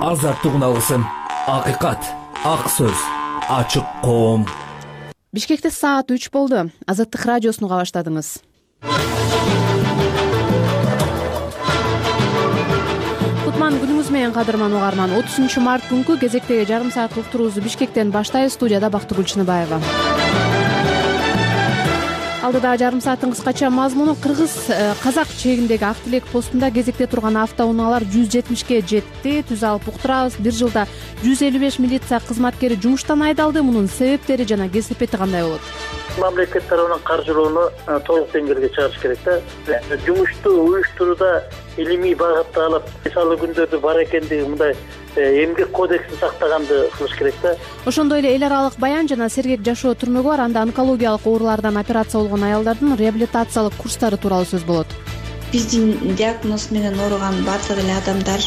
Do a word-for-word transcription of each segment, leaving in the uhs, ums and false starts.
азаттык алгысым, акыйкат, ак сөз, ачык коом. Бишкекте саат үч болду. Азаттык радиосун уга баштадыңыз. Кутман күнүңүз менен, кадырман угарман. отузунчу март күнкү кезектеги жарым саат уктуруубузду Бишкектен баштайбыз. Студияда Бактыгүл Чыныбаева. Алдыда жарым сааттын кыскача мазмуну. Кыргыз казак чегиндеги Ак Тилек постунда кезекте турган автоунaalар жүз жетимишке жетти. Түз алып уктурабыз. Бир жылда жүз элүү беш милиция кызматкери жумуштан айдалды. Мунун себептери жана кесепети кандай болот? Мамлекет тарабынан каржылоону толук деңгээлге чыгарыш керек да. Жумушту уюштурууда илимий багытты алып, мисалы күндөрдү бар экендиги мындай эмгек кодексин сактаганды кылыш керек да. Ошондой эле эл аралык баян жана сергек жашоо түрмөгү бар. Анда онкологиялык оорулардан операция болгон аялдардын реабилитациялык курстары тууралуу сөз болот. Биздин диагноз менен ооруган бардык эле адамдар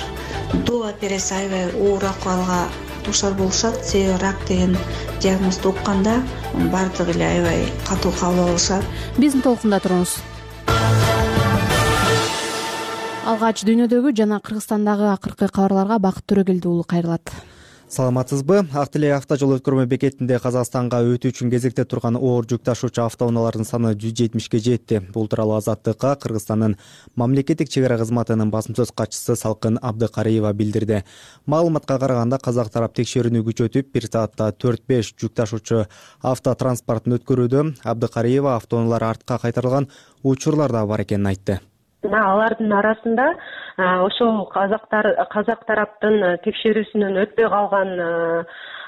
доо операция аябай оор акыбалга дуушар болушат. Себеби рак деген диагнозду укканда бардык эле аябай катуу кабыл алышат. Биздин толкунда туруңуз. Алгач дүйнөдөгү жана Кыргызстандагы акыркы кабарларга Бакыт Төрөгелди уулу кайрылат. Саламатсызбы? Ак Тилек автожол өткөрмө бекетинде Казакстанга өтүү үчүн кезекте турган оор жүк ташуучу автоунаалардын саны жүз жетимишке жетти. Бул тууралуу Азаттыкка Кыргызстандын мамлекеттик чек ара кызматынын басым сөз катчысы Салкын Абдыкариева билдирди. Маалыматка караганда казак тарап текшерүүнү күчөтүп, бир саатта төрт беш жүк ташуучу автотранспортун өткөрүүдө. Абдыкариева автоунаалар артка кайтарылган учурлар да бар экенин айтты. Алардын арасында ошол казактар казак тараптын текшерүүсүнөн өтпөй калган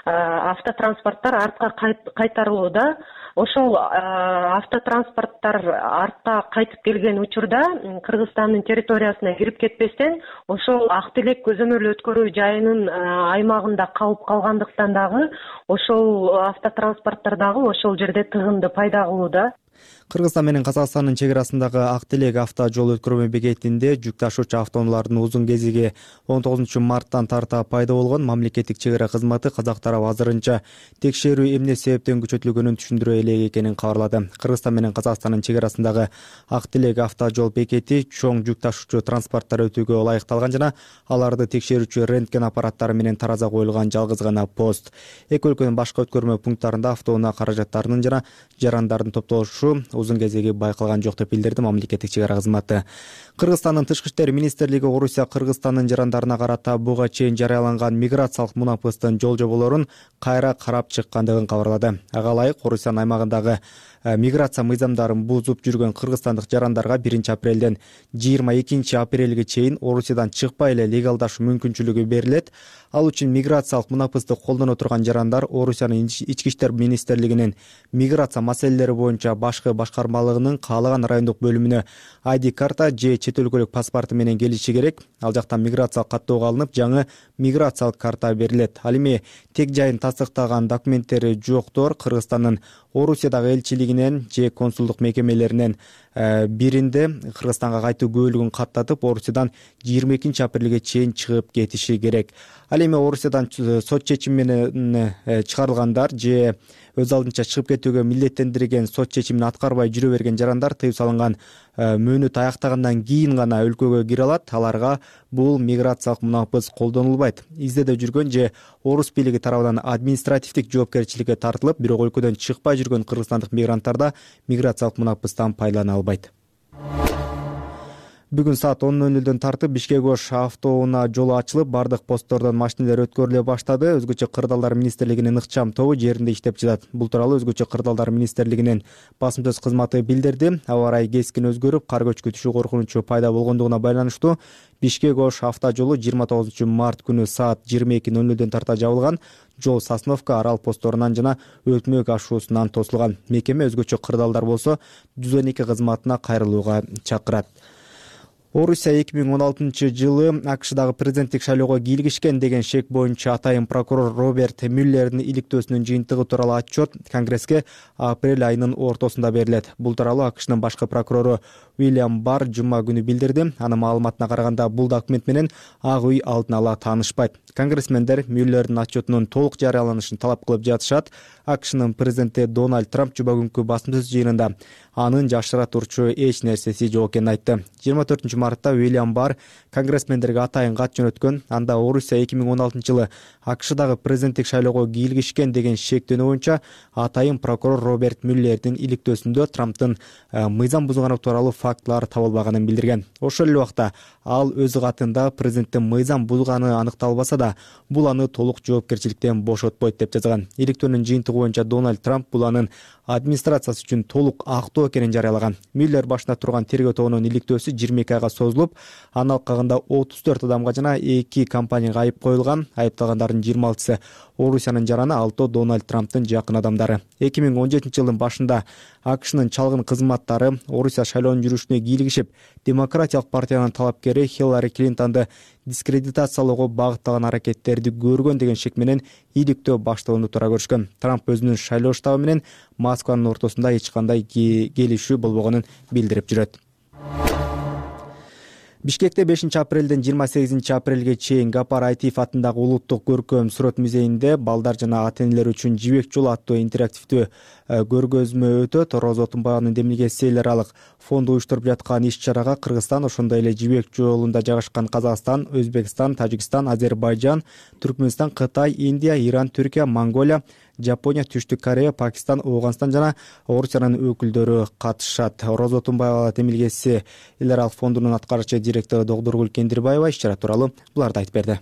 автотранспорттор артка кайтарылууда. Ошол автотранспорттор артка кайтып келген учурда Кыргызстандын территориясына кирип кетпестен ошол Ак Тилек көзөмөл өткөрүү жайынын аймагында калып калгандыктан дагы ошол автотранспорттор дагы ошол жерде тыгынды пайда кылууда. Кыргызстан менен Казакстандын чек арасындагы Ак Тилек автожол өткөрмө бекетинде жүк ташуучу автоунаалардын узун кезиги он тогузунчу марттан тарта пайда болгон. Мамлекеттик чек ара кызматы казак тарап азырынча текшерүү эмне себептен күчөтүлгөнүн түшүндүрө элек экенин кабарлады. Кыргызстан менен Казакстандын чек арасындагы Ак Тилек автожол бекети чоң жүк ташуучу транспорттор өтүүгө ылайыкталган жана аларды текшерүүчү рентген аппараттары менен тараза коюлган жалгыз гана пост. Эки өлкөнүн башка өткөрмө пункттарында автоунаа каражаттарынын жана жарандардын топтолушу узун кезеги байкалган жок деп билдирди мамлекеттик чек ара кызматы. Кыргызстандын тышкы иштер министрлиги Орусия Кыргызстандын жарандарына карата буга чейин жарыяланган миграциялык мунапыстын жол жоболорун кайра карап чыккандыгын кабарлады. Ага ылайык Орусиянын аймагындагы миграция мыйзамдарын бузуп жүргөн кыргызстандык жарандарга биринчи апрелден жыйырма экинчи апрелге чейин Орусиядан чыкпай эле легалдашуу мүмкүнчүлүгү берилет. Ал үчүн миграциялык мунапысты колдоно турган жарандар Орусиянын ички иштер министрлигинин миграция маселелери боюнча башкы башкармалыгынын каалаган райондук бөлүмүнө ай ди карта же чет өлкөлүк паспорту менен келиши керек. Ал жактан миграциялык каттоого алынып, жаңы миграциялык карта берилет. Ал эми тег жайын тастыктаган документтери жоктор Кыргызстандын Орусиядагы элчилигинен же консулдук мекемелеринен биринде Кыргызстанга кайтуу күбөлүгүн каттатып, Орусиядан жыйырма экинчи апрелге чейин чыгып кетиши керек. Ал эми Орусиядан сот чечими менен чыгарылгандар же өз алдынча чыгып кетүүгө милдеттендирген сот чечимин аткарбай жүрө берген жарандар тыюу салынган мөөнөт аяктагандан кийин гана өлкөгө кире алат. Аларга бул миграциялык мунапыс колдонулбайт. Издеде жүргөн же орус бийлиги тарабынан административдик жоопкерчиликке тартылып, бирок өлкөдөн чыкпай жүргөн кыргызстандык мигранттар да миграциялык мунапыстан пайдалана албайт. Бүгүн саат он ноль нөлдөн тартып Бишкек Ош автоунаа жолу ачылып, бардык посттордон машиналар өткөрүлө баштады. Өзгөчө кырдаалдар министрлигинин ыкчам тобу жеринде иштеп жатат. Бул тууралуу Өзгөчө кырдаалдар министрлигинин басым сөз кызматы билдирди. Аба ырайы кескин өзгөрүп, кар көчкү түшүү коркунучу пайда болгондугуна байланыштуу Бишкек Ош автожолу жыйырма тогузунчу март күнү саат жыйырма эки ноль нөлдөн тарта жабылган. Жол Сосновка, Арал постторунан жана Өкмөк ашуусунан тосулган. Мекеме өзгөчө кырдаалдар болсо жүз он эки кызматына кайрылууга чакырат. Орусия эки миң он алтынчы жылы АКШдагы президенттик шайлоого кийлигишкен деген шек боюнча атайын прокурор Роберт Мюллердин иликтөөсүнүн жыйынтыгы тууралуу отчет Конгресске апрель айынын ортосунда берилет. Бул тууралуу АКШнын башкы прокурору Уильям Барр жума күнү билдирди. Анын маалыматына караганда бул документ менен Ак үй алдын ала таанышпайт. Конгрессмендер Мюллердин отчетунун толук жарыяланышын талап кылып жатышат. АКШнын президенти Дональд Трамп жума күнкү басым сөз жыйынында анын жашыра турчу эч нерсеси жок экенин айтты. жыйырма төртүнчү мартта Уильям Барр конгрессмендерге атайын кат жөнөткөн. Анда Орусия эки миң он алтынчы жылы АКШдагы президенттик шайлоого кийлигишкен деген шектенүү боюнча атайын прокурор Роберт Мюллердин иликтөөсүндө Трамптын мыйзам бузганы тууралуу фактылар табылбаганын билдирген. Ошол эле убакта ал өз катында президенттин мыйзам бузганы аныкталбаса да, бул аны толук жоопкерчиликтен бошотпойт деп жазган. Иликтөөнүн жыйынтыгы боюнча Дональд Трамп бул анын администрациясы үчүн толук актоо экенин жарыялаган. Мюллер башында турган тергөө тобунун иликтөөсү жыйырма эки айга созулуп, анын алкагында отуз төрт адамга жана эки компанияга айып коюлган. Айыпталгандардын жыйырма алтысы Орусиянын жараны, алтоо Дональд Трамптын жакын адамдары. эки миң он жетинчи жылдын башында АКШнын чалгын кызматтары Орусия шайлоонун жүрүшүнө кийлигишип, демократиялык партиянын талапкери Хиллари Клинтонду дискредитациялоого багытталган аракеттерди көргөн деген шек менен иликтөө башталууну туура көрүшкөн. Трамп өзүнүн шайлоо штабы менен Москванын ортосунда эч кандай келишүү болбогонун билдирип жүрөт. Бишкекте бешинчи апрелден жыйырма сегизинчи апрелге чейин Гапар Айтиев атындагы улуттук көркөм сүрөт музейинде балдар жана ата-энелер үчүн жибек жолу аттуу интерактивдүү көргөзмө өтөт. Роза Отунбаеванын демилгеси эл аралык фонду уюштуруп жаткан иш-чарага Кыргызстан, ошондой эле жибек жолунда жайгашкан Казакстан, Өзбекстан, Тажикстан, Азербайжан, Түркмөнстан, Кытай, Индия, Иран, Түркия, Монголия, Жапония, Түштүк Корея, Пакистан, Ооганстан жана Орусиянын өкүлдөрү катышат. Роза Отунбаева демилгеси эл аралык фондунун аткаруучу директору Догдургүл Кендирбаева иш-чара тууралуу буларды айтып берди.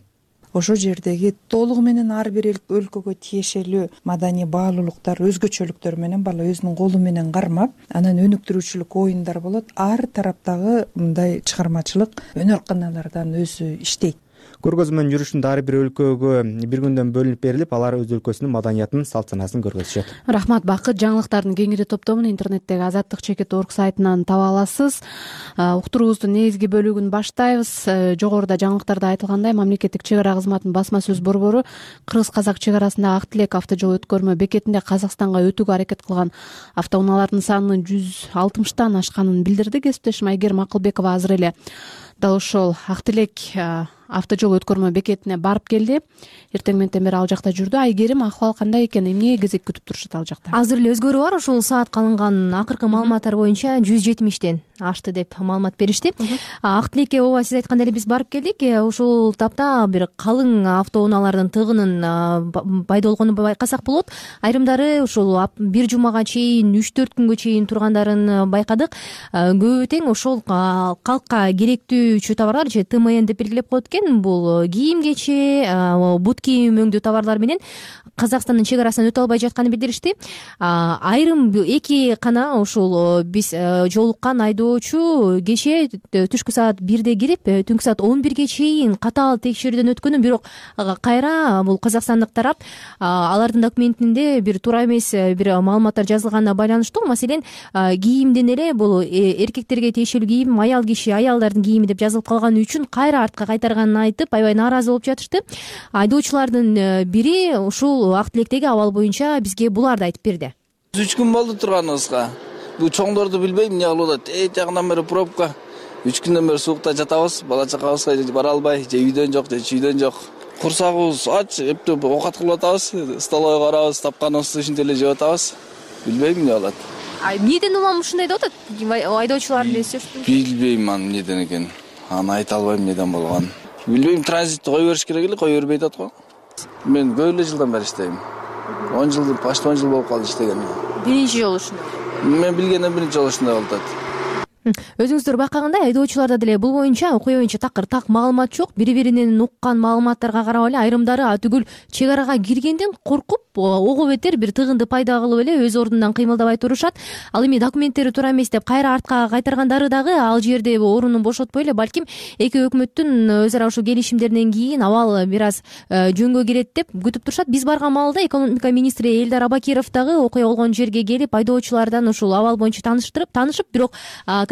Ошол жердеги толугу менен ар бир өлкөгө тиешелүү маданий баалуулуктар, өзгөчөлүктөр менен бала өзүнүн колу менен кармап, анан өнүктүрүүчүлүк оюндар болот. Ар тараптагы мындай чыгармачылык өнөр каналардан өзү иштейт. Көргөзмөнүн жүрүшүндө ар бир өлкөгө бир күндөн бөлүнүп берилип, алар өз өлкөсүнүн маданиятын, салт санаасын көргөзүшөт. Рахмат Бакыт. Жаңылыктардын кеңири топтомун интернеттеги азаттык чекит орг сайтынан таба аласыз. Уктуруубуздун негизги бөлүгүн баштайбыз. Жогоруда жаңылыктарда айтылгандай, мамлекеттик чек ара кызматынын басма сөз борбору Кыргыз-Казак чек арасындагы Ак Тилек автожол өткөрмө бекетинде Казакстанга өтүүгө аракет кылган автоунаалардын санынын жүз алтымыштан ашканын билдирди. Кесиптешим Айгерим Акылбекова азыр эле дал ошол Ак Тилек автожол өткөрмө бекетине барып келди. Эртең менен бери ал жакта жүрдү. Айгерим, акыбал кандай экен? Эмне кезек күтүп турушат ал жакта? Азыр эле өзгөрүү бар. Ушул саатка алынган акыркы маалыматтар боюнча жүз жетимиштен ашты деп маалымат беришти. Ак Тилекке ооба сиз айткандай эле биз барып келдик. Ушул тапта бир калың автоунаалардын тыгынын пайда болгонун байкасак болот. Айрымдары ушул бир жумага чейин, үч төрт күнгө чейин тургандарын байкадык. Көбү тең ошол калкка керектүүчү товарлар же Тэ Эм Эн деп белгилеп коет экен. Бул кийим кече, бут кийим өңдүү товарлар менен Казакстандын чек арасынан өтө албай жатканын билдиришти. Айрым эки кана ушул биз жолуккан айдоочу кече түшкү саат бирде кирип, түнкү саат он бирге чейин катаал текшерүүдөн өткөнүн, бирок кайра бул казакстандык тарап алардын документинде бир туура эмес бир маалыматтар жазылганына байланыштуу. Маселен, кийимден эле бул эркектерге тиешелүү кийим, аял киши, аялдардын кийими деп жазылып калганы үчүн кайра артка кайтарганын айтып, аябай нааразы болуп жатышты. Айдоочулардын бири ушул Ак Тилектеги абал боюнча бизге буларды айтып берди. үч күн болду турганыбызга. Бул чоңдорду билбейм, эмне кылып атат. Эт жагынан бери пробка. үч күндөн бери суукта жатабыз. Бала чакабызга бара албай, же үйдөн жок, же чүйдөн жок. Курсагыбыз ач, эптеп оокат кылып атабыз. Столовойго барабыз, тапканыбызды ушинтип эле жеп атабыз. Билбейм эмне болот. Эмнеден улам ушундай деп атат? Айдоочулардын эсептин. Билбейм аны эмнеден экен. Аны айта албайм эмнеден болгонун. Билбейм, транзитти кое бериш керек эле, кое бербей атат го. Мен көп эле жылдан бери иштейм. он жыл, почти он жыл болуп калды иштеген. Биринчи жолу ушундай. Мен билгенден биринчи жолу ушундай болуп атат. Өзүңүздөр байкагандай, айдоочуларда деле бул боюнча окуя боюнча такыр так маалымат жок. Бири-биринен уккан маалыматтарга карап эле айрымдары атүгүл чек арага киргенден коркуп, ого бетер бир тыгынды пайда кылып эле өз ордунан кыймылдабай турушат. Ал эми документтери туура эмес деп кайра артка кайтаргандары дагы ал жерде орунун бошотпой эле, балким эки өкмөттүн өз ара ушул келишимдеринен кийин абал бир аз жөнгө кирет деп күтүп турушат. Биз барган маалда экономика министри Элдар Абакиров дагы окуя болгон жерге келип, айдоочулардан ушул абал боюнча тааныштырып, таанышып, бирок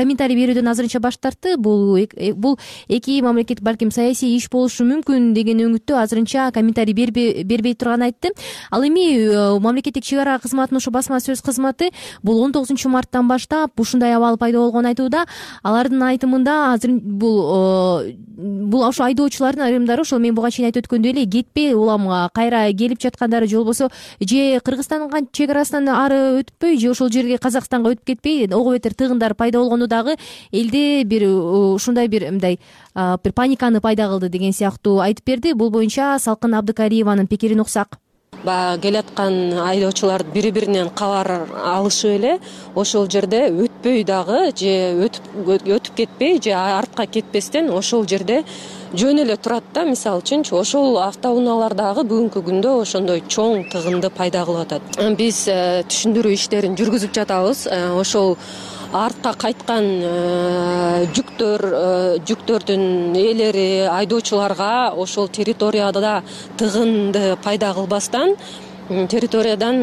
комментарий берүүдөн азырынча баш тартты. Бул бул эки мамлекет балким саясий иш болушу мүмкүн деген өңүттө азырынча комментарий бербей турганын айтты. Ал эми эми мамлекеттик чек ара кызматынын ушу басма сөз кызматы бул он тогузунчу марттан баштап ушундай абал пайда болгонун айтууда. Алардын айтымында азыр бул бул ошо айдоочулардын айрымдары ошол мен буга чейин айтып өткөндөй эле кетпей улам кайра келип жаткандары же болбосо же Кыргызстанга чек арасынан ары өтпөй же ошол жерге Казакстанга өтүп кетпей ого бетер тыгындар пайда болгону дагы элде бир ушундай бир мындай бир паниканы пайда кылды деген сыяктуу айтып берди. Бул боюнча Салкын Абдыкариеванын пикирин уксак. Баягы келаткан айдоочулар бири биринен кабар алышып эле ошол жерде өтпөй дагы же өтүп өтүп кетпей же артка кетпестен ошол жерде жөн эле турат да. Мисалы үчүнчү ошол автоунаалар дагы бүгүнкү күндө ошондой чоң тыгынды пайда кылып атат. Биз түшүндүрүү иштерин жүргүзүп жатабыз. Ошол артка кайткан жүктөр жүктөрдүн ээлери айдоочуларга ошол территорияда тыгынды пайда кылбастан территориядан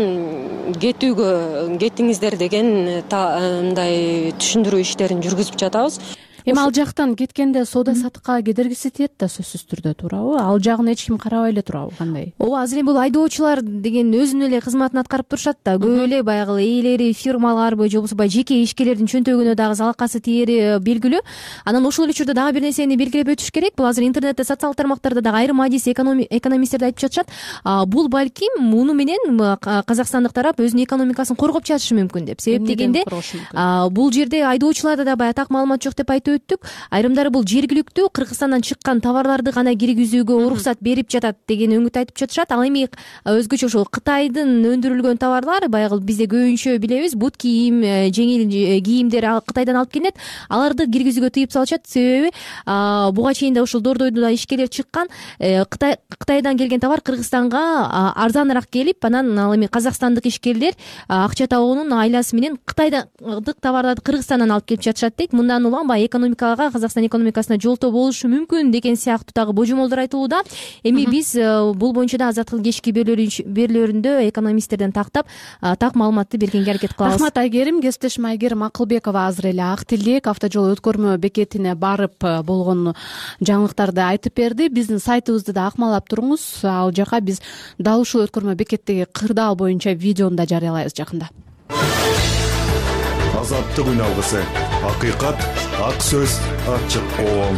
кетүүгө кетиңиздер деген мындай түшүндүрүү иштерин жүргүзүп жатабыз. Эми ал жактан кеткенде соода саттыкка кедергиси тиет да сөзсүз түрдө, туурабы? Ал жагын эч ким карабай эле турабы, кандай? Ооба, азыр эми бул айдоочулар деген өзүнүн эле кызматын аткарып турушат да. Көп эле баягы ээлери, фирмаларбы же болбосо баягы жеке ишкерлердин чөнтөгүнө дагы залакасы тиери белгилүү. Анан ошол эле учурда дагы бир нерсени белгилеп өтүш керек. Бул азыр интернетте, социалдык тармактарда дагы айрым адис экономисттерди айтып жатышат. Бул балким муну менен казакстандык тарап өзүнүн экономикасын коргоп жатышы мүмкүн деп. Себеп дегенде бул жерде айдоочуларда да баягы так маалымат жок деп айтып өттүк. Айрымдары бул жергиликтүү Кыргызстандан чыккан товарларды гана киргизүүгө уруксат берип жатат деген үмүт айтып жатышат. Ал эми өзгөчө ошол Кытайдын өндүрүлгөн товарлар, баягы бизде көбүнчө билебиз, бут кийим, жеңил кийимдер Кытайдан алып келинет. Аларды киргизүүгө тыйып салышат. Себеби буга чейин да ушул Дордойдо да ишкерлер чыккан. Кытай Кытайдан келген товар Кыргызстанга арзаныраак келип, анан ал эми казакстандык ишкерлер акча табуунун айласы менен кытайдык товарларды Кыргызстандан алып келип жатышат дейт. Мындан улам баягы экономикага, Казакстан экономикасына жолтоо болушу мүмкүн деген сыяктуу дагы божомолдор айтылууда. Эми биз бул боюнча да азаттык кечки берүүлөрүндө экономисттерден тактап так маалыматты бергенге аракет кылабыз. Рахмат Айгерим. Кесиптешим Айгерим Акылбекова азыр эле Ак Тилек автожол өткөрмө бекетине барып болгон жаңылыктарды айтып берди. Биздин сайтыбызды да акмалап туруңуз. Ал жака биз дал ушул өткөрмө бекеттеги кырдаал боюнча видеону да жарыялайбыз жакында. Азаттык үн алгысы, акыйкат, ак сөз, ачык коом.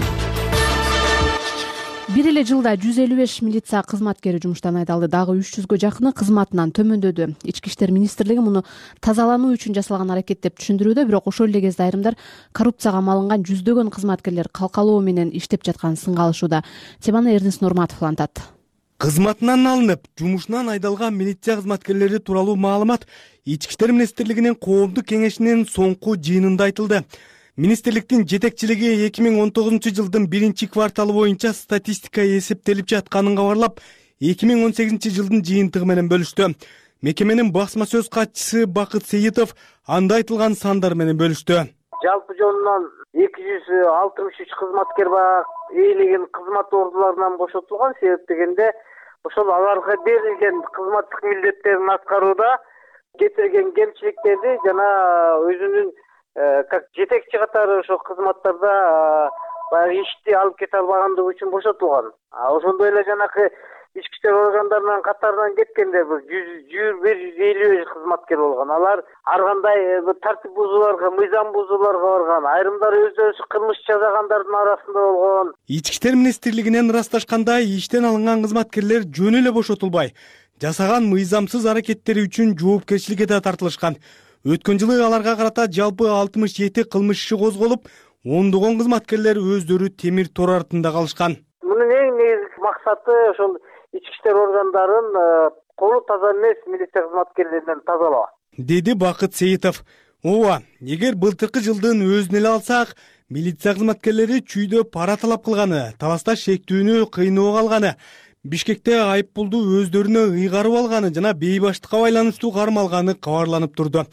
Бир эле жылда жүз элүү беш милиция кызматкери жумуштан айдалды. Дагы үч жүзгө жакыны кызматынан төмөндөдү. Ички иштер министрлиги муну тазалануу үчүн жасалган аракет деп түшүндүрүүдө, бирок ошол эле кезде айрымдар коррупцияга малынган жүздөгөн кызматкерлер калкалоо менен иштеп жатканын сынга алышууда. Теманы Эрнест Нурматов улантат. Кызматынан алынып, жумушунан айдалган милиция кызматкерлери тууралуу маалымат Ички иштер министрлигинин коомдук кеңешинин соңку жыйынында айтылды. Министрликтин жетекчилиги эки миң он тогузунчу жылдын биринчи кварталы боюнча статистика эсептелип жатканын кабарлап, эки миң он сегизинчи жылдын жыйынтыгы менен бөлүштү. Мекеменин басма сөз катчысы Бакыт Сейитов анда айтылган сандар менен бөлүштү. Жалпы жонунан эки жүз алтымыш үч кызматкер бар ээлеген кызмат ордуларынан бошотулган. Себеп дегенде ошол аларга берилген кызматтык милдеттерин аткарууда кетирген кемчиликтерди жана өзүнүн как жетекчи катары ошол кызматтарда баягы ишти алып кете албагандыгы үчүн бошотулган. Ошондой эле жанакы ички иштер органдарынын катарынан кеткенде бул жүз бир жүз элүү беш кызматкер болгон. Алар ар кандай тартип бузууларга, мыйзам бузууларга барган. Айрымдары өздөрү кылмыш жасагандардын арасында болгон. Ички иштер министрлигинен ырасташкандай, иштен алынган кызматкерлер жөн эле бошотулбай, жасаган мыйзамсыз аракеттери үчүн жоопкерчиликке да тартылышкан. Өткөн жылы аларга карата жалпы алтымыш жети кылмыш иши козголуп, ондогон кызматкерлер өздөрү темир тор артында калышкан. Мунун эң негизги максаты ошол ички иштер органдарын колу таза эмес милиция кызматкерлеринен тазалоо, деди Бакыт Сейитов. Ооба, эгер былтыркы жылдын өзүн эле алсак, милиция кызматкерлери чүйдө пара талап кылганы, таласта шектүүнү кыйноого алганы, Бишкекте айыппулду өздөрүнө ыйгарып алганы жана бейбаштыкка байланыштуу кармалганы кабарланып турду.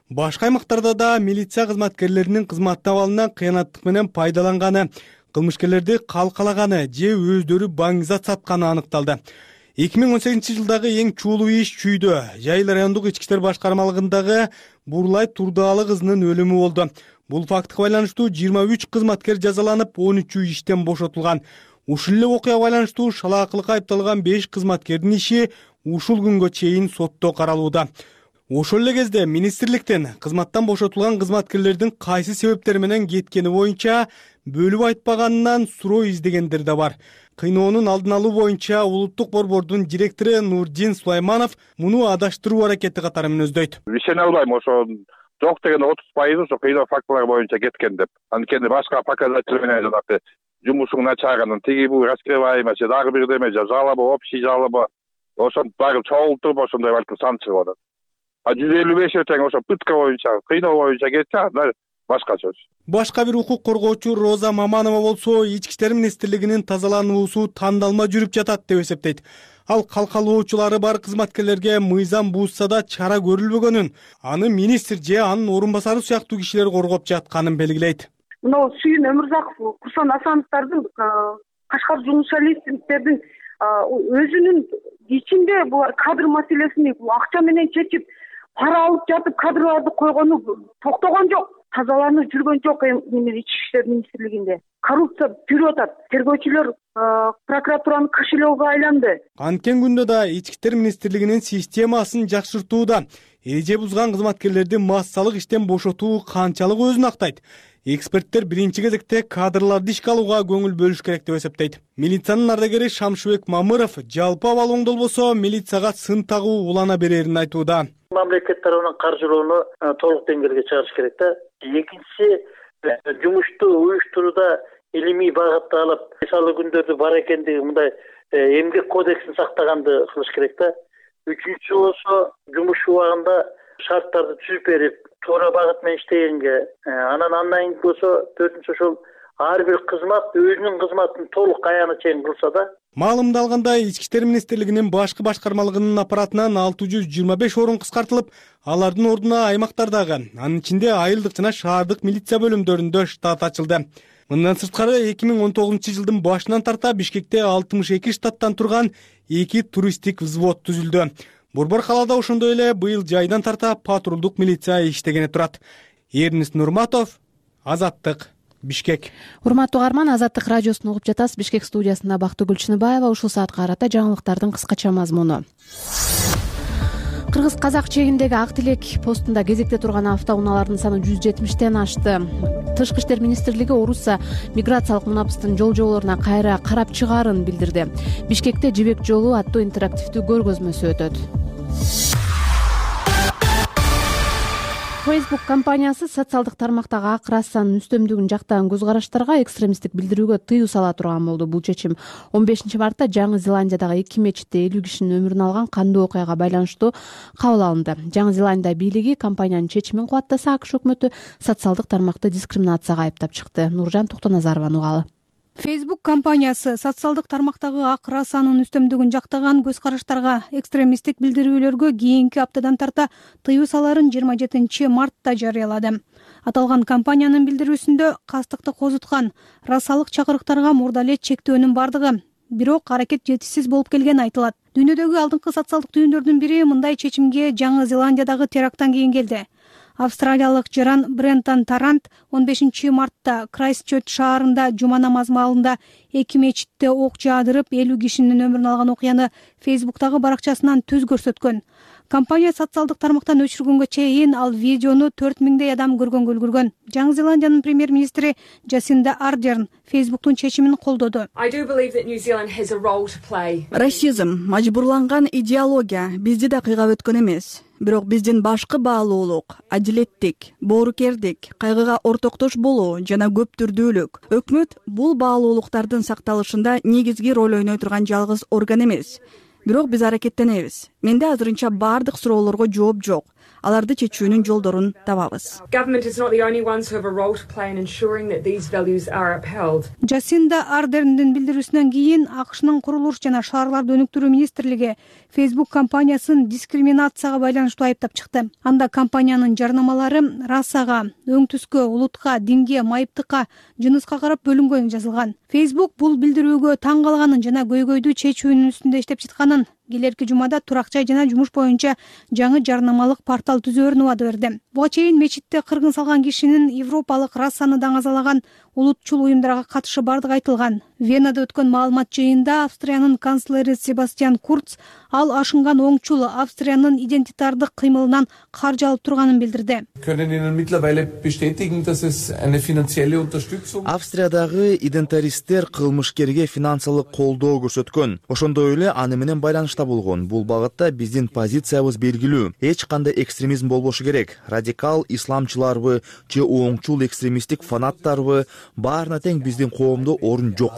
Башка аймактарда да милиция кызматкерлеринин кызмат абалынан кыянаттык менен пайдаланганы, кылмышкерлерди калкалаганы же өздөрү баңгизат сатканы аныкталды. эки миң он сегизинчи жылдагы эң чуулуу иш чүйдө Жайыл райондук ички иштер башкармалыгындагы Бурлай Турдаалы кызынын өлүмү болду. Бул фактыга байланыштуу жыйырма үч кызматкер жазаланып, он үчү иштен бошотулган. Ушул эле окуяга байланыштуу шалаакылыкка айыпталган беш кызматкердин иши ушул күнгө чейин сотто каралууда. Ошол эле кезде министрликтен кызматтан бошотулган кызматкерлердин кайсы себептер менен кеткени боюнча бөлүп айтпаганынан суроо издегендер да бар. Кыйноонун алдын алуу боюнча улуттук борбордун директору Нурдин Сулайманов муну адаштыруу аракети катары мүнөздөйт. Ишене албайм, ошо жок деген отуз пайызы ошо кыйноо фактылары боюнча кеткен деп. Анткени башка показатель менен жанагы жумушуң начарынын тиги бул раскрываемость, дагы бир деме жалоба, общий жалоба, ошонун баары чогултуруп ошондой балким сан чыгып атат. А жүз элүү беш тең ошо пытка боюнча, кыйноо боюнча кетсе, анда башка сөз. Башка бир укук коргоочу Роза Маманова болсо, Ички иштер министрлигинин тазалануусу тандалма жүрүп жатат деп эсептейт. Ал калкалоочулары бар кызматкерлерге мыйзам буузса да чара көрүлбөгөнүн, аны министр же анын орун басары сыяктуу кишилер коргоп жатканын белгилейт. Мына Сүйүн Өмүрзаков, Курсан Асановдордун, Кашкар журналисттердин өзүнүн ичинде булар кадр маселесин акча менен чечип, пара алып жатып кадрларды койгону токтогон жок, тазаланып жүргөн жок. Эми Ички иштер министрлигинде коррупция жүрүп атат. Тергөөчүлөр прокуратуранын кошелегине айланды. Анткен күндө да Ички иштер министрлигинин системасын жакшыртууда эреже бузган кызматкерлерди массалык иштен бошотуу канчалык өзүн актайт. Эксперттер биринчи кезекте кадрларды ишке алууга көңүл бөлүш керек деп эсептейт. Милициянын ардагери Шамшыбек Мамыров жалпы абал оңдолбосо милицияга сын тагуу улана берерин айтууда. Мамлекет тарабынан каржылоону толук деңгээлге чыгарыш керек да. Экинчиси, жумушту уюштурууда илимий багытты алып, мисалы күндөрдү бар экендиги мындай эмгек кодексин сактаганды кылыш керек да. Үчүнчүсү болсо жумуш убагында шарттарды түзүп берип, туура багыт менен иштегенге, анан андан кийин болсо төртүнчү ошол ар бир кызмат өзүнүн кызматын толук аяны чейин кылса да. Маалымда алгандай, Ички иштер министрлигинин башкы башкармалыгынын аппаратынан алты жүз жыйырма беш орун кыскартылып, алардын ордуна аймактардагы, анын ичинде айылдык жана шаардык милиция бөлүмдөрүндө штат ачылды. Мындан сырткары эки миң он тогузунчу жылдын башынан тарта Бишкекте алтымыш эки штаттан турган эки туристтик взвод түзүлдү. Борбор калаада ошондой эле быйыл жайдан тарта патрулдук милиция иштегени турат. Эрнис Нурматов, Азаттык, Бишкек. Урматтуу угарман, Азаттык радиосун угуп жатасыз. Бишкек студиясында Бактыгүл Чыныбаева. Ушул саатка карата жаңылыктардын кыскача мазмуну. Кыргыз-казак чегиндеги Ак Тилек постунда кезекте турган автоунаалардын саны жүз жетимиштен ашты. Тышкы иштер министрлиги Орусия миграциялык мунапыстын жол жоболоруна кайра карап чыгаарын билдирди. Бишкекте Жибек жолу аттуу интерактивдүү көргөзмөсү өтөт. Facebook компаниясы социалдык тармактагы ак расанын үстөмдүгүн жактаган көз караштарга экстремисттик билдирүүгө тыюу сала турган болду. Бул чечим он бешинчи мартта Жаңы Зеландиядагы эки мечитте элүү кишинин өмүрүн алган кандуу окуяга байланыштуу кабыл алынды. Жаңы Зеландия бийлиги компаниянын чечимин кубаттаса, АКШ өкмөтү социалдык тармакты дискриминацияга айыптап чыкты. Нуржан Токтоназарованын угалы. Facebook компаниясы социалдык тармактагы ак расанын үстөмдүгүн жактаган көз караштарга экстремисттик билдирүүлөргө кийинки аптадан тарта тыюу саларын жыйырма жетинчи мартта жарыялады. Аталган компаниянын билдирүүсүндө кастыкты козуткан расалык чакырыктарга мурда эле чектөөнүн бардыгы, бирок аракет жетишсиз болуп келгени айтылат. Дүйнөдөгү алдыңкы социалдык түйүндөрдүн бири мындай чечимге Жаңы Зеландиядагы теракттан кийин келди. Австралиялык жаран Брентон Тарант он бешинчи мартта Крайстчерч шаарында жума намазы маалында эки мечитте ок жаадырып, элүү кишинин өмүрүн алган окуяны Facebook'тагы баракчасынан түз көрсөткөн. Компания социалдык тармактан өчүргөнгө чейин ал видеону төрт миңдей адам көргөнгө үлгүргөн. Жаңы Зеландиянын премьер-министри Джасинда Ардерн Facebook'тун чечимин колдоду. Расизм, мажбурланган идеология бизди да кыйгап өткөн эмес. Бирок биздин башкы баалуулук, адилеттик, боорукердик, кайгыга ортоктош болуу жана көптүрдүүлүк. Өкмөт бул баалуулуктардын сакталышында негизги роль ойной турган жалгыз орган эмес. Бирок биз аракеттенебиз. Менде азырынча бардык суроолорго жооп жок. Аларды чечүүнүн жолдорун табабыз. Джасинда Ардерндин билдирүүсүнөн кийин АКШнын курулуш жана шаарларды өнүктүрүү министрлиги Facebook компаниясын дискриминацияга байланыштуу айыптап чыкты. Анда компаниянын жарнамалары расага, өң түскө, улутка, динге, майыптыкка, жыныска карап бөлүнгөнү жазылган. Facebook бул билдирүүгө таң калганын жана көйгөйдү чечүүнүн үстүндө иштеп жатканын, келерки жумада турак жай жана жумуш боюнча жаңы жарнамалык портал түзөөрүн убада берди. Буга чейин мечитте кыргын салган кишинин европалык расаны даңазалаган улутчул уюмдарга катышы бардыгы айтылган. Венада өткөн маалымат жыйынында Австриянын канцлери Себастьян Курц ал ашынган оңчул Австриянын идентитардык кыймылынан каржы алып турганын билдирди. Австриядагы идентаристтер кылмышкерге финансылык колдоо көрсөткөн. Ошондой эле аны менен байланышта болгон. Бул багытта биздин позициябыз белгилүү. Эч кандай экстремизм болбошу керек. Радикал исламчыларбы же оңчул экстремисттик фанаттарбы баарына тең биздин коомдо орун жок.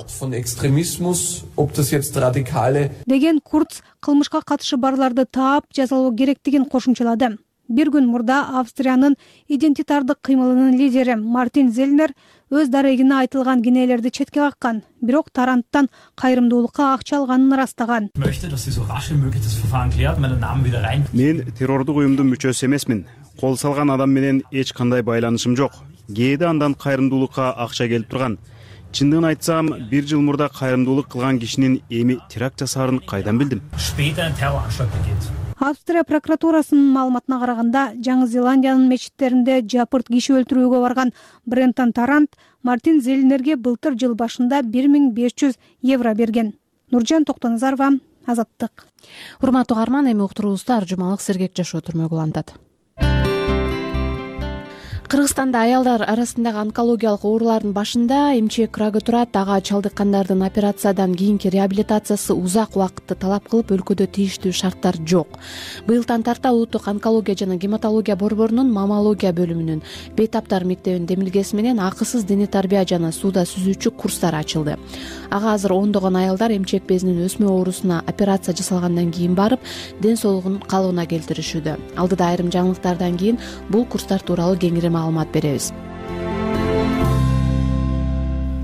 Деген Курц кылмышка катышы барларды таап жазалоо керектигин кошумчалады. Бир күн мурда Австриянын идентитардык кыймылынын лидери Мартин Зельнер өз дарегине айтылган кенелерди четке каккан, бирок Таранттан кайрымдуулукка акча алганын ырастаган. Мен террордук уюмдун мүчөсү эмесмин. Кол салган адам менен эч кандай байланышым жок. Кээде андан кайрымдуулукка акча келип турган. Чындыгын айтсам, бир жыл мурда кайрымдуулук кылган кишинин эми теракт жасаарын кайдан билдим? Австрия прокуратурасынын маалыматына караганда, Жаңы Зеландиянын мечиттеринде жапырт киши өлтүрүүгө барган Брентон Тарант Мартин Зельнерге былтыр жыл башында бир миң беш жүз евро берген. Нуржан Токтоназарова, Азаттык. Урматтуу угарман, эми уктуруубузду ар жумалык сергек жашоо түрмөгү улантат. Кыргызстанда аялдар арасындагы онкологиялык оорулардын башында эмчек рагы турат. Ага чалдыккандардын операциядан кийинки реабилитациясы узак убакытты талап кылып, өлкөдө тийиштүү шарттар жок. Быйылдан тарта улуттук онкология жана гематология борборунун маммология бөлүмүнүн бейтаптар мектебинин демилгеси менен акысыз дене тарбия жана сууда сүзүүчү курстар ачылды. Ага азыр ондогон аялдар эмчек безинин өсмө оорусуна операция жасалгандан кийин барып, ден соолугун калыбына келтиришүүдө. Алдыда айрым жаңылыктардан кийин бул курстар тууралуу кеңири маалымат беребиз.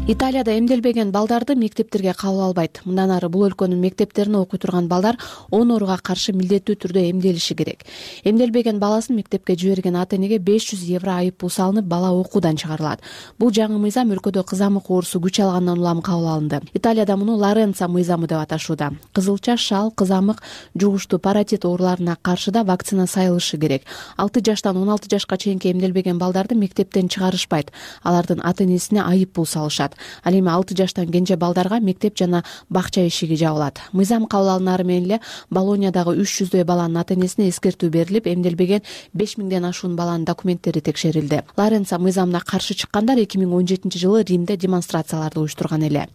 Италияда эмделбеген балдарды мектептерге кабыл албайт. Мындан ары бул өлкөнүн мектептерине окуй турган балдар он ооруга каршы милдеттүү түрдө эмделиши керек. Эмделбеген баласын мектепке жиберген ата-энеге беш жүз евро айып пул салынып, бала окуудан чыгарылат. Бул жаңы мыйзам өлкөдө кызамык оорусу күч алгандан улам кабыл алынды. Италияда муну Лоренцо мыйзамы деп аташууда. Кызылча, шал, кызамык, жугуштуу паротит ооруларына каршы да вакцина сайылышы керек. алты жаштан он алты жашка чейинки эмделбеген балдарды мектептен чыгарышпайт. Алардын ата-энесине айып пул салышат. Ал эми алты жаштан кенже балдарга мектеп жана бакча эшиги жабылат. Мыйзам кабыл алынары менен эле Болоньядагы үч жүздөй баланын ата-энесине эскертүү берилип, эмделбеген беш миңден ашуун баланын документтери текшерилди. Лоренцо мыйзамына каршы чыккандар эки миң он жетинчи жылы Римде демонстрацияларды уюштурган эле.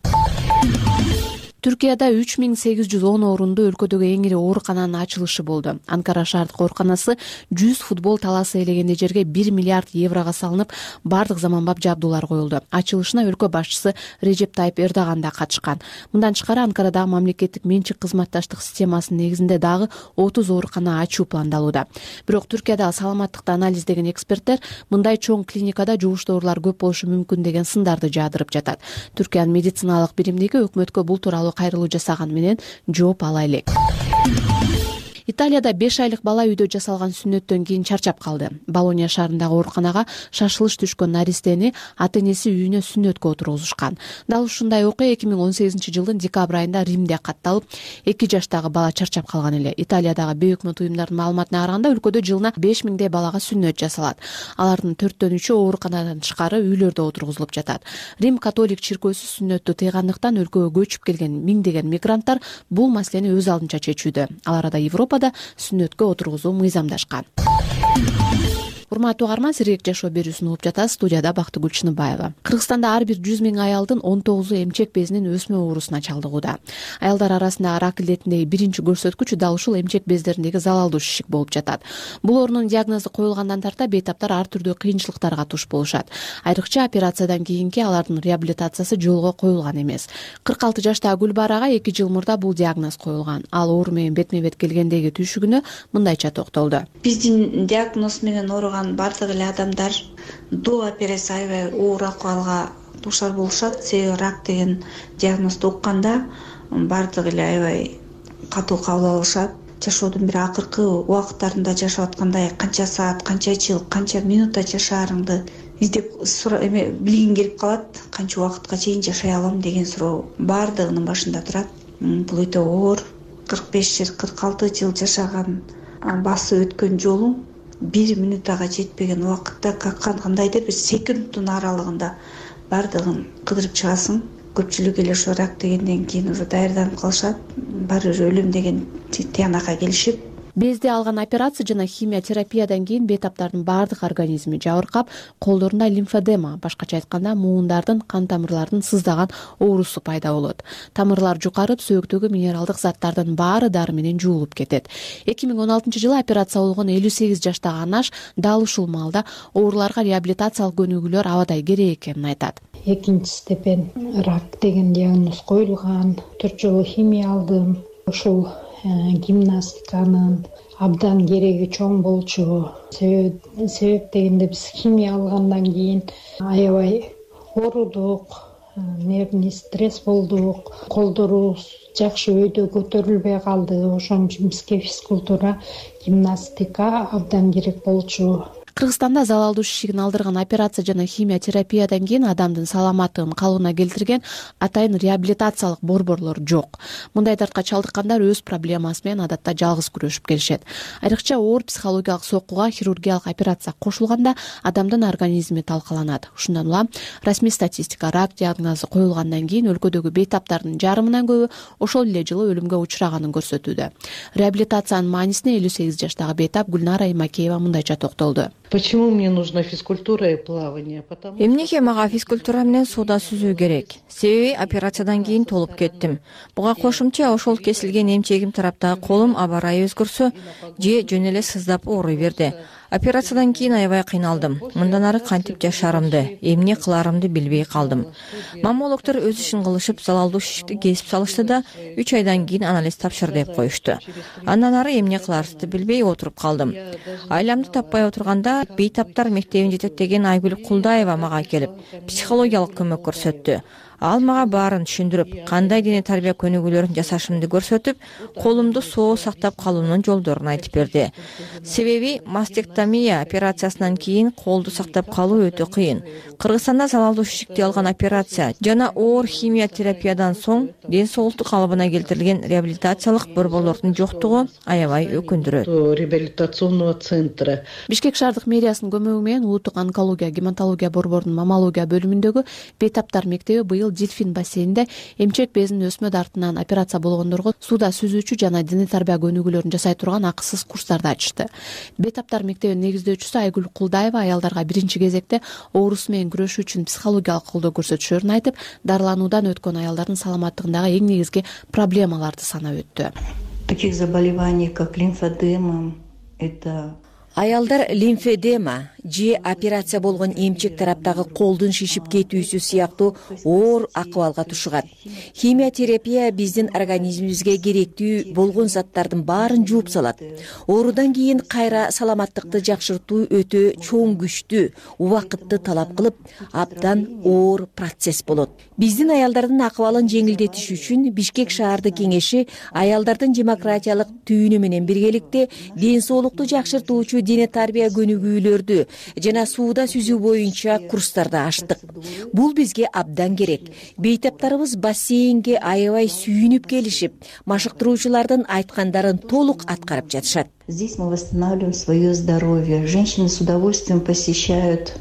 Түркияда үч миң сегиз жүз он орунду өлкөдөгү эң ири оорукананын ачылышы болду. Анкара шаардык ооруканасы жүз футбол талаасы ээлегенде жерге бир миллиард еврого салынып, бардык заманбап жабдуулар коюлду. Ачылышына өлкө башчысы Режеп Тайып Эрдоган да катышкан. Мындан тышкары Анкарадагы мамлекеттик менчик кызматташтык системасынын негизинде дагы отуз оорукана ачуу пландалууда. Бирок Түркиядагы саламаттыкты анализдеген эксперттер мындай чоң клиникада жугуштуу оорулар көп болушу мүмкүн деген сындарды жаадырып жатат. Түркиянын медициналык биримдиги өкмөткө бул тууралуу кайрылуу жасаган менен жооп ала элек. Италияда беш айлык бала үйдө жасалган сүннөттөн кийин чарчап калды. Болонья шаарындагы ооруканага шашылыш түшкөн наристени ата-энеси үйүнө сүннөткө отургузушкан. Дал ушундай окуя эки миң он сегизинчи жылдын декабрь айында Римде катталып, эки жаштагы бала чарчап калган эле. Италиядагы бейөкмөт уюмдардын маалыматына караганда, өлкөдө жылына беш миңдей балага сүннөт жасалат. Алардын төрттөн үчөө ооруканадан тышкары үйлөрдө отургузулуп жатат. Рим католик чиркөөсү сүннөттү тыйгандыктан өлкөгө көчүп келген миңдеген мигранттар бул маселени өз алдынча чечүүдө. Алар да Европада сүннөткө отургузуу мыйзамдашкан. Урматтуу угарман, сергек жашоо берүүсүн угуп жатасыз. Студияда Бактыгүл Чыныбаева. Кыргызстанда ар бир жүз миң аялдын он тогузу эмчек безинин өсмө оорусуна чалдыгууда. Аялдар арасындагы рак илетиндеги биринчи көрсөткүч дал ушул эмчек бездериндеги залалдуу шишик болуп жатат. Бул оорунун диагнозу коюлгандан тарта бейтаптар ар түрдүү кыйынчылыктарга туш болушат. Айрыкча операциядан кийинки алардын реабилитациясы жолго коюлган эмес. кырк алты жаштагы Гүлбарага эки жыл мурда бул диагноз коюлган. Ал оору менен бетме бет келгендеги түйшүгүнө мындайча токтолду. Биздин диагноз менен ооруган бардык эле адамдар до операция аябай оор акыбалга дуушар болушат. Себеби рак деген диагнозду укканда бардык эле аябай катуу кабыл алышат. Жашоодун бир акыркы убакыттарында жашап аткандай канча саат, канча жыл, канча минутта жашаарыңды издеп эме билгиң келип калат. Канча убакытка чейин жашай алам деген суроо бардыгынын башында турат. Бул өтө оор. кырк беш жыл, кырк алты жыл жашаган, басып өткөн жолуң бир минутага жетпеген убакытта кандайдыр бир секундтун аралыгында бардыгын кыдырып чыгасың. көпчүлүк эле ошо рак дегенден кийин уже даярданып калышат, баары бир өлүм деген тыянакка келишип. Безди алган операция жана химия терапиядан кийин бейтаптардын баардык организми жабыркап, колдорунда лимфодема, башкача айтканда муундардын, кан тамырлардын сыздаган оорусу пайда болот. Тамырлар жукарып, сөөктөгү минералдык заттардын баары дары менен жуулуп кетет. эки миң он алтынчы жылы операция болгон элүү сегиз жаштагы Анаш дал ушул маалда ооруларга реабилитациялык көнүгүүлөр абадай керек экенин айтат. Экинчи степень рак деген диагноз коюлган, төрт жолу химия алдым. Ушул гимнастиканын абдан кереги чоң болчу. Себеп дегенде биз химия алгандан кийин аябай оорудук, нервный стресс болдук, колдорубуз жакшы өйдө көтөрүлбөй калды. Ошон үчүн бизге физкультура, гимнастика абдан керек болчу. Кыргызстанда залалдуу шишигин алдырган операция жана химия терапиядан кийин адамдын саламаттыгын калыбына келтирген атайын реабилитациялык борборлор жок. Мындай дартка чалдыккандар өз проблемасы менен адатта жалгыз күрөшүп келишет. Айрыкча оор психологиялык соккуга хирургиялык операция кошулганда адамдын организми талкаланат. Ушундан улам расмий статистика рак диагнозу коюлгандан кийин өлкөдөгү бейтаптардын жарымынан көбү ошол эле жылы өлүмгө учураганын көрсөтүүдө. Реабилитациянын маанисине элүү сегиз жаштагы бейтап Гүлнара Имакеева мындайча токтолду. Почему мне нужна физкультура и плавание? Эмнеге мага физкультура менен сууда сүзүү керек? Себеби операциядан кийин толуп кеттим. Буга кошумча ошол кесилген эмчегим тараптагы колум аба ырайы өзгөрсө же жөн эле сыздап ооруй берди. Операциядан кийин аябай кыйналдым. Мындан ары кантип жашарымды, эмне кыларымды билбей калдым. Маммологдор өз ишин кылышып, залалдуу шишикти кесип салышты да үч айдан кийин анализ тапшыр деп коюшту. Андан ары эмне кыларымды билбей отуруп калдым. Айламды таппай отурганда бейтаптар мектебин жетектеген Айгүл Кулдаева мага келип, психологиялык көмөк көрсөттү. Ал мага баарын түшүндүрүп, кандай дене тарбия көнүгүүлөрүн жасашымды көрсөтүп, колумду соо сактап калуунун жолдорун айтып берди. Себеби мастектомия операциясынан кийин колду сактап калуу өтө кыйын. Кыргызстанда залалдуу шишикти алган операция жана оор химия терапиядан соң ден соолукту калыбына келтирилген реабилитациялык борборлордун жоктугу аябай өкүндүрөт. Реабилитационного центра. Бишкек шаардык мэриясынын көмөгү менен улуттук онкология, гематология борборунун маммология бөлүмүндөгү бейтаптар мектеби быйыл Дельфин бассейнинде эмчек безинин өсмө дартынан операция болгондорго сууда сүзүүчү жана дене тарбия көнүгүүлөрүн жасай турган акысыз курстарды ачышты. Бейтаптар мектебинин негиздөөчүсү Айгүл Кулдаева аялдарга биринчи кезекте оорусу менен күрөшүү үчүн психологиялык колдоо көрсөтүшөрүн айтып, дарылануудан өткөн аялдардын саламаттыгындагы эң негизги проблемаларды санап өттү. Таких заболеваний, как лимфодема, это Аялдар лимфедема же операция болгон эмчек тараптагы колдун шишип кетүүсү сыяктуу оор акыбалга тушугат. Химия терапия биздин организмибизге керектүү болгон заттардын баарын жууп салат. Оорудан кийин кайра саламаттыкты жакшыртуу өтө чоң күчтүү, убакытты талап кылып, абдан оор процесс болот. Биздин аялдардын акыбалын жеңилдетиш үчүн Бишкек шаардык кеңеши аялдардын демократиялык түйүнү менен биргеликте ден соолукту жакшыртуучу дене тарбия көнүгүүлөрдү жана сууда сүзүү боюнча курстарды ачтык. Бул бизге абдан керек. Бейтаптарыбыз бассейнге аябай сүйүнүп келишип, машыктыруучулардын айткандарын толук аткарып жатышат. Здесь мы восстанавливаем свое здоровье. Женщины с удовольствием посещают.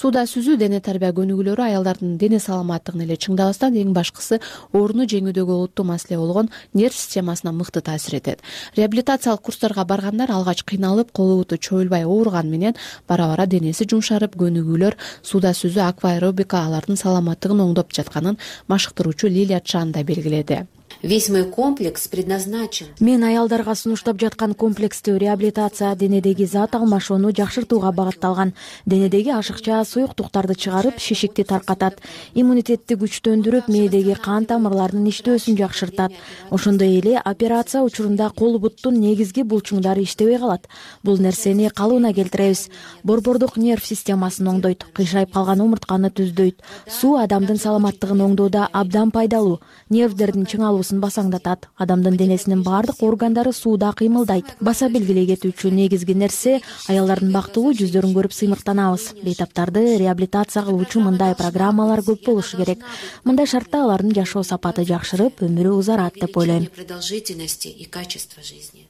Сууда сүзүү дене тарбия көнүгүүлөрү аялдардын дене саламаттыгын эле чыңдабастан эң башкысы ооруну жеңүүдөгү олуттуу маселе болгон нерв системасына мыкты таасир этет. Реабилитациялык курстарга баргандар алгач кыйналып, колу буту чоюлбай ооруган менен бара-бара денеси жумшарып, көнүгүүлөр, сууда сүзүү, акваэробика алардын саламаттыгын оңдоп жатканын машыктыруучу Лилия Чан да белгиледи. Весь мой комплекс предназначен. Мен аялдарга сунуштап жаткан комплекстүү реабилитация денедеги зат алмашууну жакшыртууга багытталган. Денедеги ашыкча суюктуктарды чыгарып, шишикти таркатат, иммунитетти күчтөндүрүп, мээдеги кан тамырларынын иштөөсүн жакшыртат. Ошондой эле операция учурунда кол буттун негизги булчуңдары иштебей калат. Бул нерсени калыбына келтиребиз. Борбордук нерв системасын оңдойт, кыйшайып калган омуртканы түздөйт. Суу адамдын саламаттыгын оңдоодо абдан пайдалуу. Нервдердин чыңалуусун басаңдатат. Адамдын денесинин баардык органдары сууда кыймылдайт. Баса белгилей кетүүчү негизги нерсе аялдардын бактылуу жүздөрүн көрүп сыймыктанабыз. Бейтаптарды реабилитация кылуучу мындай программалар көп болушу керек. Мындай шартта алардын жашоо сапаты жакшырып, өмүрү узарат деп ойлойм. Продолжительности и качества жизни.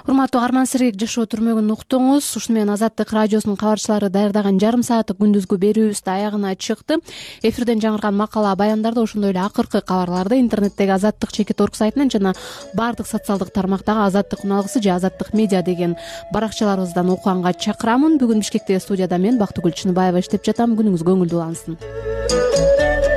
урматтуу арман сергек жашоо түрмөгүн уктуңуз. Ушуну менен Азаттык радиосунун кабарчылары даярдаган жарым сааттык күндүзгү берүүбүз да аягына чыкты. Эфирден жаңырган макала баяндарды, ошондой эле акыркы кабарларды интернеттеги азаттык чекит орг сайтынан жана баардык социалдык тармактагы Азаттык уналгысы же Азаттык медиа деген баракчаларыбыздан окуганга чакырамын. Бүгүн Бишкектеги студияда мен Бактыгүл Чыныбаева иштеп жатам. Күнүңүз көңүлдүү улансын.